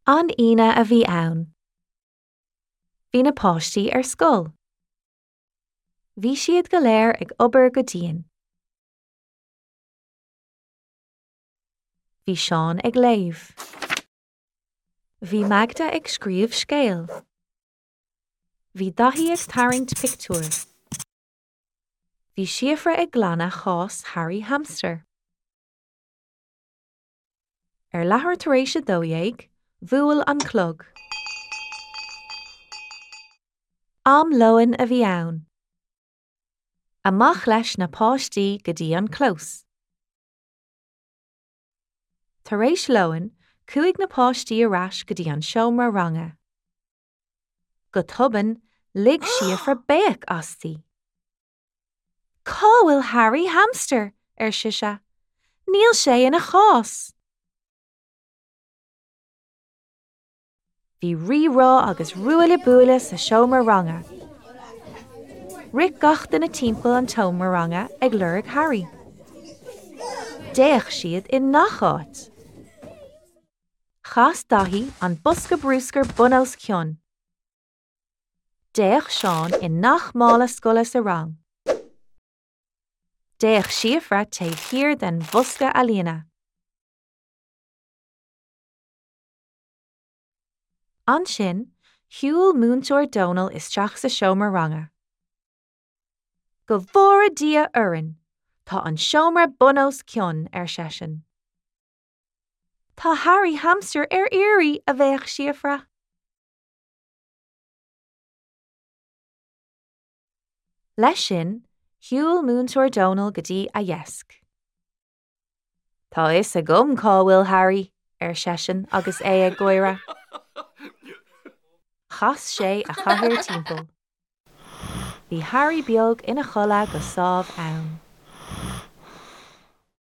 An Aoine a bhí ann. Bhí na páistí ar scoil. Bhí siad go léir ag obair go dian. Bhí Seán ag léamh. Bhí Magda ag scríobh scéil. Bhí Daithí ag tarraingt pictiúir. Bhí Síofra ag glanadh chás Harry Hamster. Ar leathuair tar éis 12, bhuail an clog. Am lóin a bhí ann. Amach leis na páistí go dtí an clós. Tar éis lóin, chuaigh na páistí ar ais go dtí an seomra ranga. Go tobann, lig Síofra béic asti. Cá bhfuil Harry Hamster? ar sise. Níl sé ina chás! Bhí rí-rá agus ruaille buaille sa seomra ranga. Rith gach duine timpeall an tseomra ranga ag lorg Harry. D'fhéach siad i ngach áit. Chas Daithí an bosca bruscair bun os cionn. D'fhéach Seán i ngach mála scoile sa rang. D'fhéach Síofra taobh thiar den bhosca ealaíne. Ansin, shiúil Múinteoir Dónal isteach sa seomra ranga. Go bhfóire Dia orainn! Tá an seomra bun os cionn, ar seisean. Tá Harry Hamster ar iarraidh, a bhéic Síofra. Leis sin, shiúil Múinteoir Dónal go dtí a dheasc. Tá a fhios agam cá bhfuil Harry, ar seisean agus é ag gáire. Chas sé a chathaoir timpeall. Bhí Harry beag ina chodladh go sámh ann.